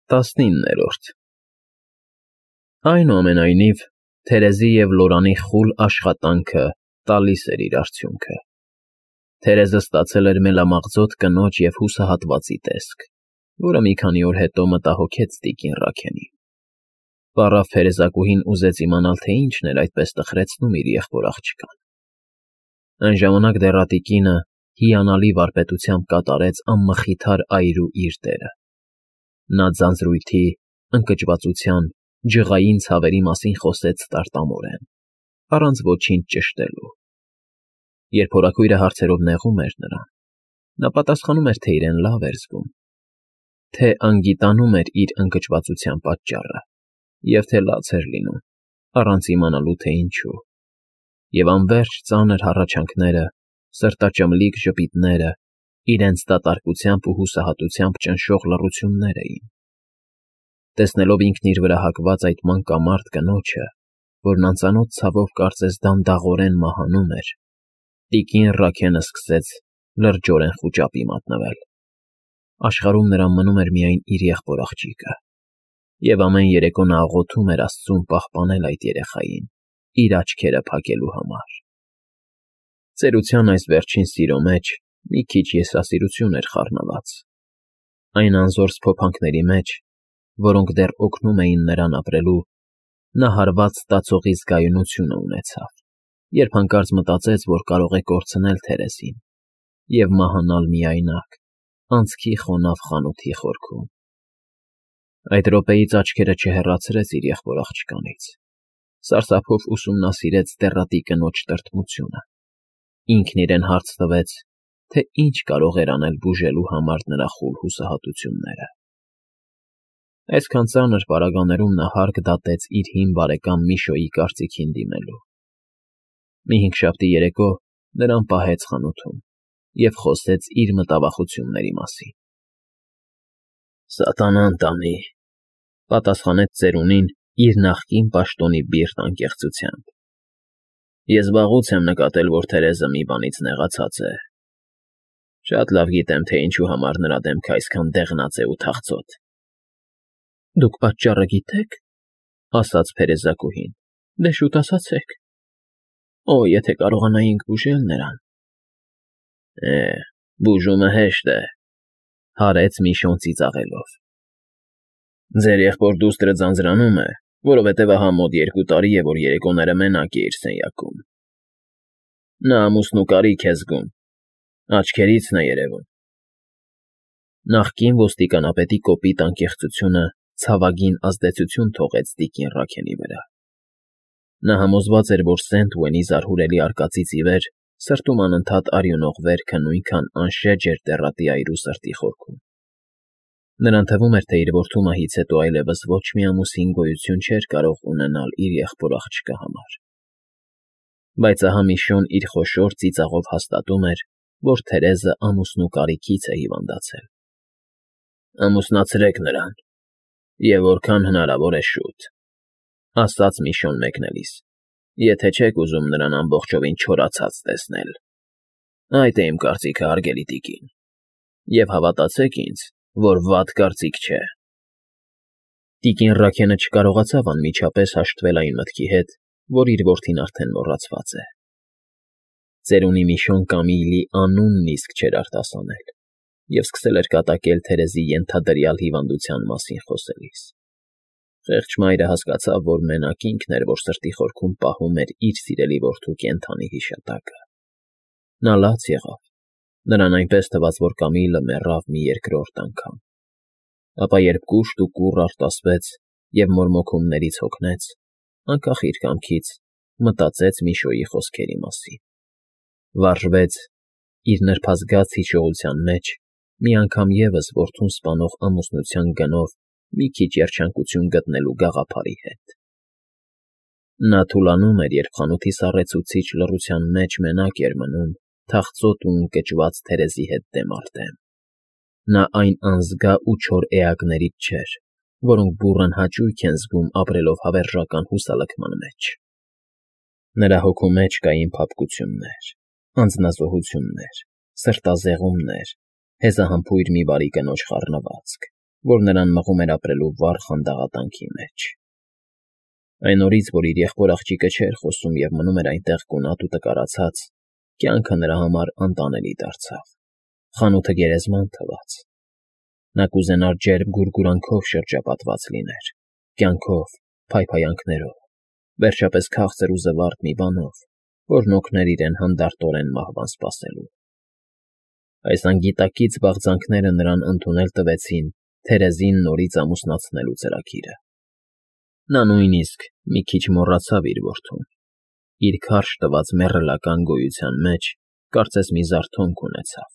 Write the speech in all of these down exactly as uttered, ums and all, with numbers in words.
Տասնիններորդ Այնուամենայնիվ, Թերեզի և Լորանի խուլ աշխատանքը տալիս էր իր արդյունքը. Թերեզը ստացել էր մելամաղձոտ կնոջ և հուսահատվածի տեսք, որը մի քանի օր հետո մտահոգեց տիկին Ռաքենին. պառավ փերեզակուհին ուզեց իմանալ, թե ինչն էր այդպես տխրեցնում իր եղբոր աղջկան. Այն ժամանակ դեռատիկինը հիանալի վարպետությամբ կատարեց անմխիթար այրու իր դերը. նա ձանձրույթի, ընկճվածության, ջղային ցավերի մասին խոսեց տարտամորեն, առանց ոչինչ ճշտելու. երբ հորաքույրը հարցերով նեղում էր նրան, նա պատասխանում էր, թե իրեն լավ էր զգում, թե անգիտանում էր իր ընկճվածության պատճառը և թե լաց էր լինում, առանց իմանալու, թե ինչու, և անվերջ ծանր հառաչանքները, սրտաճմլիկ ժպիտները իրենց դատարկությամբ ու հուսահատությամբ ճնշող լռություններ էին. տեսնելով ինքն իր վրա հակված այդ մանկամարդ կնոջը, որն անծանոթ ցավով կարծես դանդաղորեն մահանում էր, տիկին Ռաքենը սկսեց լրջորեն խուճապի մատնվել. աշխարհում նրան մնում էր միայն իր եղբոր աղջիկը, և ամեն երեկո նա աղոթում էր Աստծուն պահպանել այդ երեխային իր աչքերը փակելու համար. ծերության այս վերջին սիրո մեջ մի քիչ եսասիրություն էր խառնված, այն անզոր սփոփանքների մեջ, որոնք դեռ օգնում էին նրան ապրելու, նա հարված ստացողի զգայունությունը ունեցավ, երբ հանկարծ մտածեց, որ կարող է կորցնել Թերեզին և մահանալ միայնակ, անցքի խոնավ խանութի խորքում. այդ րոպեից աչքերը չհեռացրեց իր եղբոր աղջկանից, սարսափով ուսումնասիրեց դեռատի կնոջ տրտմությունը, ինքն իրեն հարց տվեց, թե ինչ կարող էր անել բուժելու համար նրա խուլ հուսահատությունները. այսքան ծանր պարագաներում նա հարկ դատեց իր հին բարեկամ Միշոյի կարծիքին դիմելու. մի հինգշաբթի երեկո նրան պահեց խանութում և խոսեց իր մտավախությունների մասին. «Սատանան տանի», ֊ պատասխանեց ծերունին իր նախկին պաշտոնի բիրտ անկեղծությամբ. «ես վաղուց եմ նկատել, որ Թերեզը մի բանից նեղացած է. շատ լավ գիտեմ, թե ինչու համար նրա դեմքը այսքան դեղնած է ու թախծոտ»։ «Դուք պատճառը գիտե՞ք», ֊ ասաց փերեզակուհին, ֊ դե շուտ ասացեք։ Օ, եթե կարողանայինք բուժել նրան… Է, բուժումը հեշտ է, ֊ հարեց Միշոն ծիծաղելով։ Ձեր եղբոր դուստրը ձանձրանում է, որովհետև ահա մոտ երկու տարի է, որ երեկոները մենակ է իր սենյակում։ Նա ամուսնու կարիք է զգում, աչքերիցն է երևում։ Նախկին ոստիկանապետի կոպիտ անկեղծությունը ցավագին ազդեցություն թողեց տիկին Ռաքենի վրա։ Նա համոզված էր, որ Սենթ Ուենի զարհուրելի արկածից ի վեր սրտում անընդհատ արյունող վերքը նույնքան անշեջ էր դեռատի այրու սրտի խորքում։ Նրան թվում էր, թե իր որդու մահից հետո այլևս ոչ մի ամուսին գոյություն չէր կարող ունենալ իր եղբոր աղջկա համար։ Բայց ահա Միշոն իր խոշոր ծիծաղով հաստատում էր, որ Թերեզը ամուսնու կարիքից է հիվանդացել։ «Ամուսնացրեք նրան, և որքան հնարավոր է շուտ», ֊ ասաց Միշոն մեկնելիս, «եթե չեք ուզում նրան ամբողջովին չորացած տեսնել։ Այդ է իմ կարծիքը, հարգելի տիկին, և հավատացեք ինձ, որ վատ կարծիք չէ»։ Տիկին Ռաքենը չկարողացավ անմիջապես հաշտվել այն մտքի հետ, որ իր որդին արդեն մոռացված է։ Ծերունի Միշոն Կամիլի անունն իսկ չէր արտասանել և սկսել էր կատակել Թերեզի ենթադրյալ հիվանդության մասին խոսելիս։ Խեղճ մայրը հասկացավ, որ մենակ ինքն էր, որ սրտի խորքում պահում էր իր սիրելի որդու կենդանի հիշատակը։ Նա լաց եղավ, նրան այնպես թվաց, որ Կամիլը մեռավ մի երկրորդ անգամ։ Ապա երբ կուշտ ու կուռ արտասվեց և մորմոքումներից հոգնեց, անկախ իր կամքից մտածեց Միշոյի խոսքերի մասին։ Վարժվեց իր նրբազգաց հիշողության մեջ մի անգամ ևս որդուն սպանող ամուսնության գնով մի քիչ երջանկություն գտնելու գաղափարի հետ։ Նա թուլանում էր, երբ խանութի սառեցուցիչ լռության մեջ մենակ էր մնում թախծոտ ու ընկճված Թերեզի հետ դեմ առ դեմ։ Նա այն անզգա ու չոր էակներից չէր, որոնք բուռն հաճույք են զգում ապրելով հավերժական հուսալքման մեջ։ Նրա հոգու մեջ կային փափկություններ, անձնազոհություններ, սրտազեղումներ, հեզահամբույր մի բարի կնոջ խառնվածք, որ նրան մղում էր ապրելու վառ խանդաղատանքի մեջ։ Այն օրից, որ իր եղբոր աղջիկը չէր խոսում և մնում էր այնտեղ գունատ ու տկարացած, կյանքը նրա համար անտանելի դարձավ, խանութը գերեզման թվաց։ Նա կուզենար ջերմ գուրգուրանքով շրջապատված լիներ, կյանքով, փայփայանքներով, վերջապես քաղցր ու զվարթ մի բանով, որն օգներ իրեն հանդարտորեն մահվան սպասելու։ Այս անգիտակից բաղձանքները նրան ընդունել տվեցին Թերեզին նորից ամուսնացնելու ծրագիրը։ Նա նույնիսկ մի քիչ մոռացավ իր որդուն։ Իր քարշ տված մեռելական գոյության մեջ կարծես մի զարթոնք ունեցավ,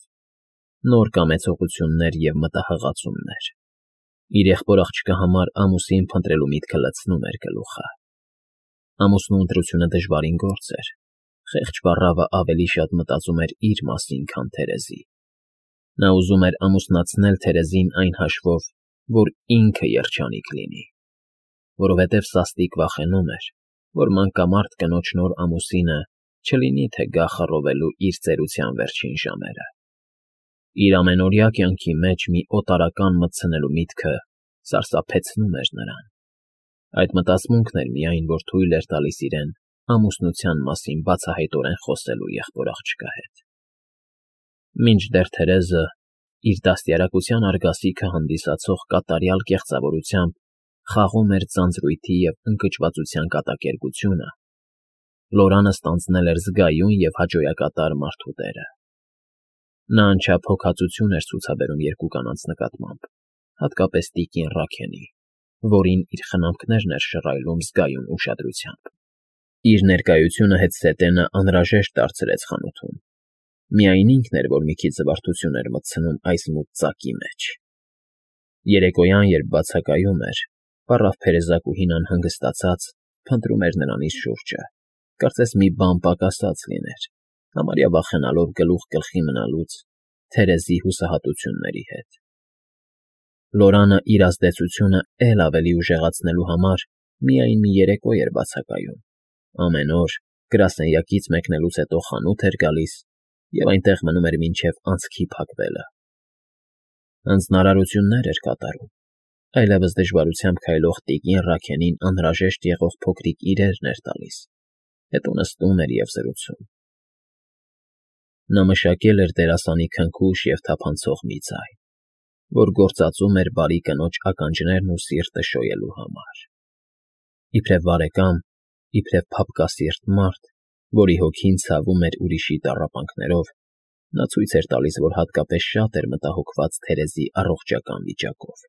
նոր կամեցողություններ և մտահղացումներ։ Իր եղբոր աղջկա համար ամուսին փնտրելու միտքը լցնում էր գլուխը։ Ամուսնու ընտրությունը դժվարին գործ էր։ Խեղճ պառավը ավելի շատ մտածում էր իր մասին, քան Թերեզի։ Նա ուզում էր ամուսնացնել Թերեզին այն հաշվով, որ ինքը երջանիկ լինի, որովհետև սաստիկ վախենում էր, որ մանկամարդ կնոջ նոր ամուսինը չլինի թե գա խռովելու իր ծերության վերջին ժամերը։ Իր ամենօրյա կյանքի մեջ մի օտարական մտցնելու միտքը սարսափեցնում էր նրան։ Այդ մտածմունքն էր միայն, որ թույլ էր տալիս իրեն ամուսնության մասին բացահայտորեն խոսելու եղբոր աղջկա հետ։ Մինչդեռ Թերեզը իր դաստիարակության արգասիքը հանդիսացող կատարյալ կեղծավորությամբ խաղում էր ձանձրույթի և ընկճվածության կատակերգությունը, Լորանը ստանձնել էր զգայուն և հաճոյակատար մարդու դերը։ Նա անչափ հոգածություն էր ցուցաբերում երկու կանանց նկատմամբ, հատկապես տիկին Ռաքենի, որին իր խնամքներն էր շռայլում զգայուն ուշադրությամբ։ Իր ներկայությունը հետզհետե անհրաժեշտ դարձրեց խանութում։ Միայն ինքն էր, որ մի քիչ զվարթություն էր մտցնում այս մութ ծակի մեջ։ Երեկոյան, երբ բացակայում էր, պառավ փերեզակուհին անհանգստացած փնտրում էր նրանից շուրջը, կարծես մի բան պակասած լիներ, համարյա վախենալով գլուխ գլխի մնալուց Թերեզի հուսահատությունների հետ։ Լորանը իր ազդեցությունը էլ ավելի ուժեղացնելու համար միայն մի երեկո էր բացակայում։ Ամեն օր գրասենյակից մեկնելուց հետո խանութ էր գալիս և այնտեղ մնում էր մինչև անցքի փակվելը։ Հանձնարարություններ էր կատարում, այլևս դժվարությամբ քայլող տիկին Ռաքենին անհրաժեշտ եղող փոքրիկ իրերն էր տալիս, հետո նստում էր և զրուցում։ Նա մշակել էր դերասանի քնքուշ և թափանցող մի ձայն, որ գործածում էր բարի կնոջ ականջներն ու սիրտը շոյելու համար։ Իբրև բարեկամ, իբրև փափկասիրտ մարդ, որի հոգին ցավում էր ուրիշի տառապանքներով, նա ցույց էր տալիս, որ հատկապես շատ էր մտահոգված Թերեզի առողջական վիճակով։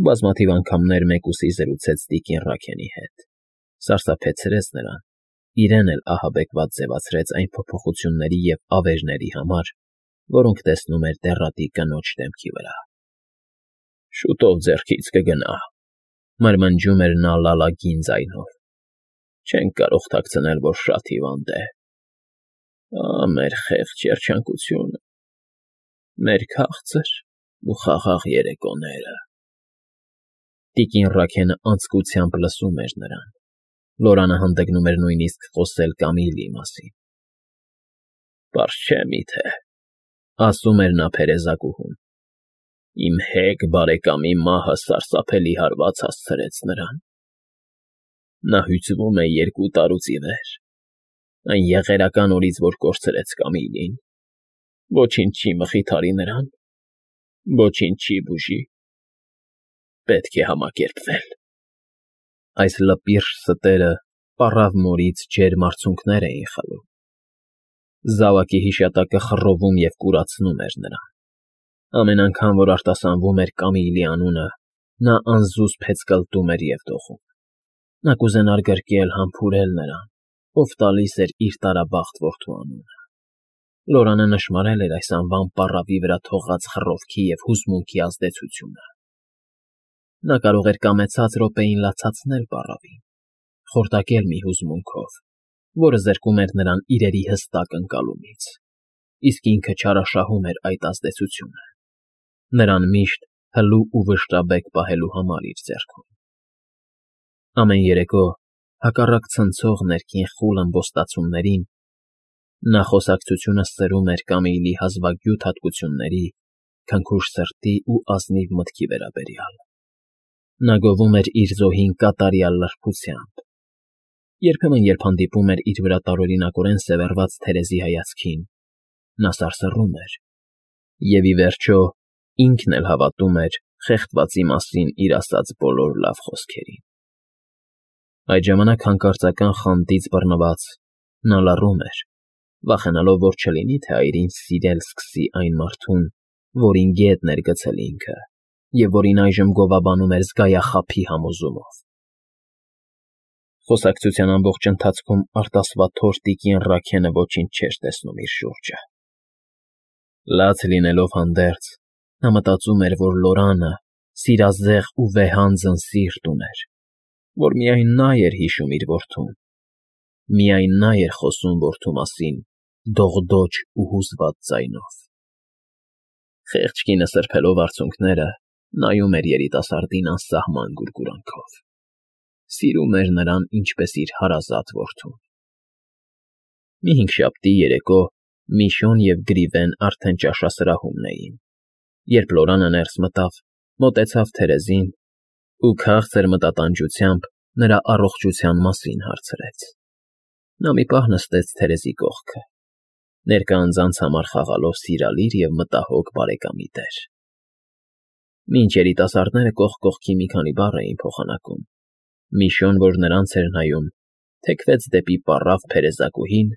Բազմաթիվ անգամներ մեկուսի զրուցեց տիկին Ռաքենի հետ, սարսափեցրեց նրան, իրեն էլ ահաբեկված ձևացրեց այն փոփոխությունների և ավերների համար, որոնք տեսնում էր դեռատի կնոջ դեմքի վրա։ «Շուտով ձեռքից կգնա», մրմնջում էր նա լալագին ձայնով։ «Չենք կարող թաքցնել, որ շատ հիվանդ է։ Ահ, մեր խեղճ երջանկությունը, մեր քաղցր ու խաղաղ երեկոները»։ Տիկին Ռաքենը անձկությամբ լսում էր նրան։ Լորանը հանդգնում էր նույնիսկ խոսել Կամիլի մասին։ «Պարզ չէ՞ միթե,֊ ասում էր նա փերեզակուհուն,֊ իմ հեգ բարեկամի մահը սարսափելի հարված հասցրեց նրան։ Նա հյուծվում է երկու տարուց ի վեր, այն եղերական օրից, որ կորցրեց Կամիլին։ Ոչինչ չի մխիթարի նրան, ոչինչ չի բուժի։ Պետք է համակերպվել»։ Այս լպիրշ ստերը պառավ մորից ջերմ արցունքներ էին խլում։ Զավակի հիշատակը խռովում և կուրացնում էր նրան։ Ամեն անգամ, որ արտասանվում էր Կամիլի անունը, նա անզուսպ հեծկլտում էր և դողում։ Նա կուզենար գրկել, համբուրել նրան, ով տալիս էր իր տարաբախտ որդու անունը։ Լորանը նշմարել էր այս անվան պառավի վրա թողած խռովքի և հուզմունքի ազդեցությունը։ Նա կարող էր կամեցած րոպեին լացացնել պառավին, խորտակել մի հուզմունքով, որը զրկում էր նրան իրերի հստակ ընկալումից, իսկ ինքը չարաշահում էր այդ ազդեցությունը, նրան միշտ հլու ու վշտաբեկ պահելու համար իր ձեռքում։ Ամեն երեկո, հակառակ ցնցող ներքին խուլ ըմբոստացումներին, նա խոսակցությունը սրում էր Կամիլի հազվագյուտ հատկությունների, քնքուշ սրտի ու ազնիվ մտքի վերաբերյալ։ Նա գովում էր իր զոհին կատարյալ լրբությամբ։ Երբեմն, երբ հանդիպում էր իր վրա տարօրինակորեն սևեռված Թերեզի հայացքին, նա սարսռում էր և, ի վերջո, ինքն էլ հավատում էր խեղդվածի մասին իր ասած բոլոր լավ խոսքերին։ Այդ ժամանակ հանկարծական խանդից բռնված՝ նա լռում էր, վախենալով, որ չլինի, թե այրին սիրել սկսի այն մարդուն, որին գետ էր գցել ինքը և որին այժմ գովաբանում էր զգայախաբի համոզումով։ Խոսակցության ամբողջ ընթացքում արտասվաթոր տիկին Ռաքենը ոչինչ չէր տեսնում իր շուրջը։ Լաց լինելով հանդերձ, նա մտածում էր, որ Լորանը սիրազեղ ու վեհանձն սիրտ ուներ, որ միայն նա էր հիշում իր որդուն, միայն նա էր խոսում որդու մասին դողդոջ ու հուզված ձայնով։ Խեղճ կինը սրբելով արցունքները, նայում էր երիտասարդին անսահման գուրգուրանքով։ Սիրում էր նրան ինչպես իր հարազատ որդուն։ Մի հինգշաբթի երեկո Միշոն և Գրիվեն արդեն ճաշասրահումն էին, երբ Լորանը ներս մտավ, մոտեցավ Թերեզին ու քաղցր մտատանջությամբ նրա առողջության մասին հարցրեց։ Նա մի պահ նստեց Թերեզի կողքը, ներկա անձանց համար խաղալով սիրալիր և մտահոգ բարեկամի դեր։ Մինչ երիտասարդները կողք կողքի մի քանի բառ էին փոխանակում, Միշոն, որ նրանց էր նայում, թեքվեց դեպի պառավ փերեզակուհին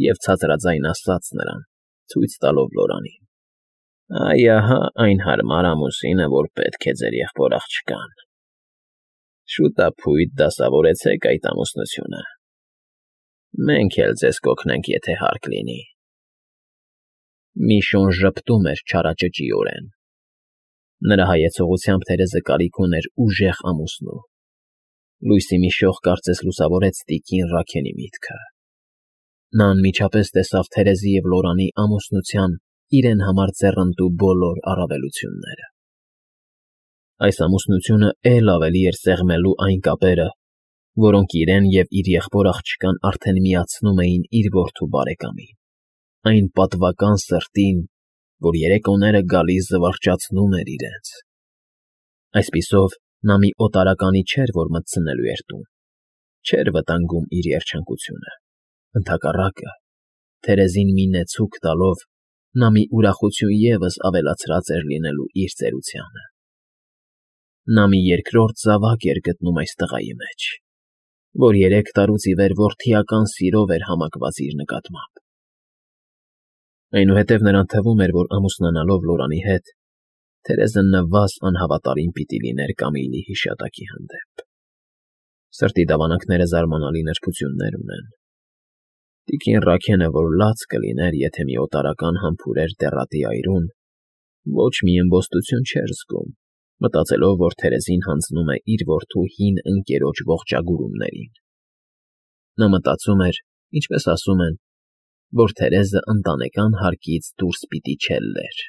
և ցածրաձայն ասաց նրան, ցույց տալով Լորանին. «Այ ահա այն հարմար ամուսինը, որ պետք է ձեր եղբոր աղջկան։ Շուտափույթ դասավորեցեք այդ ամուսնությունը։ Մենք էլ ձեզ կօգնենք, եթե հարկ լինի»։ Միշոն ժպտում էր չարաճճիորեն։ Նրա հայեցողությամբ Թերեզը կարիք ուներ ուժեղ ամուսնու։ Լույսի մի շող կարծես լուսավորեց տիկին Ռաքենի միտքը։ Նա անմիջապես տեսավ Թերեզի և Լորանի ամուսնության իրեն համար ձեռնտու բոլոր առավելությունները։ Այս ամուսնությունը էլ ավելի էր սեղմելու այն կապերը, որոնք իրեն և իր եղբոր աղջկան արդեն միացնում էին իր որդու բարեկամին, այն պատվական սրտին, որ երեկոները գալիս զվարճացնում էր իրենց։ Այսպիսով, նա մի օտարականի չէր, որ մտցնելու էր տուն, չէր վտանգում իր երջանկությունը։ Ընդհակառակը, Թերեզին մի նեցուկ տալով, նա մի ուրախություն ևս ավելացրած էր լինելու իր ծերությանը։ Նա մի երկրորդ զավակ էր գտնում այս տղայի մեջ, որ երեք տարուց ի վեր որդիական սիրով էր համակված իր նկատմամբ։ Այնուհետև նրան թվում էր, որ ամուսնանալով Լորանի հետ, Թերեզը նվազ անհավատարիմ պիտի լիներ Կամիլի հիշատակի հանդեպ։ Սրտի դավանանքները զարմանալի նրբություններ ունեն։ Տիկին Ռաքենը, որ լաց կլիներ, եթե մի օտարական համբուրեր դեռատի այրուն, ոչ մի ըմբոստություն չէր զգում, մտածելով, որ Թերեզին հանձնում է իր որդու հին ընկերոջ ողջագուրումներին։ Նա մտածում էր, ինչպես ասում են, որ Թերեզը ընտանեկան հարկից դուրս պիտի չելլեր։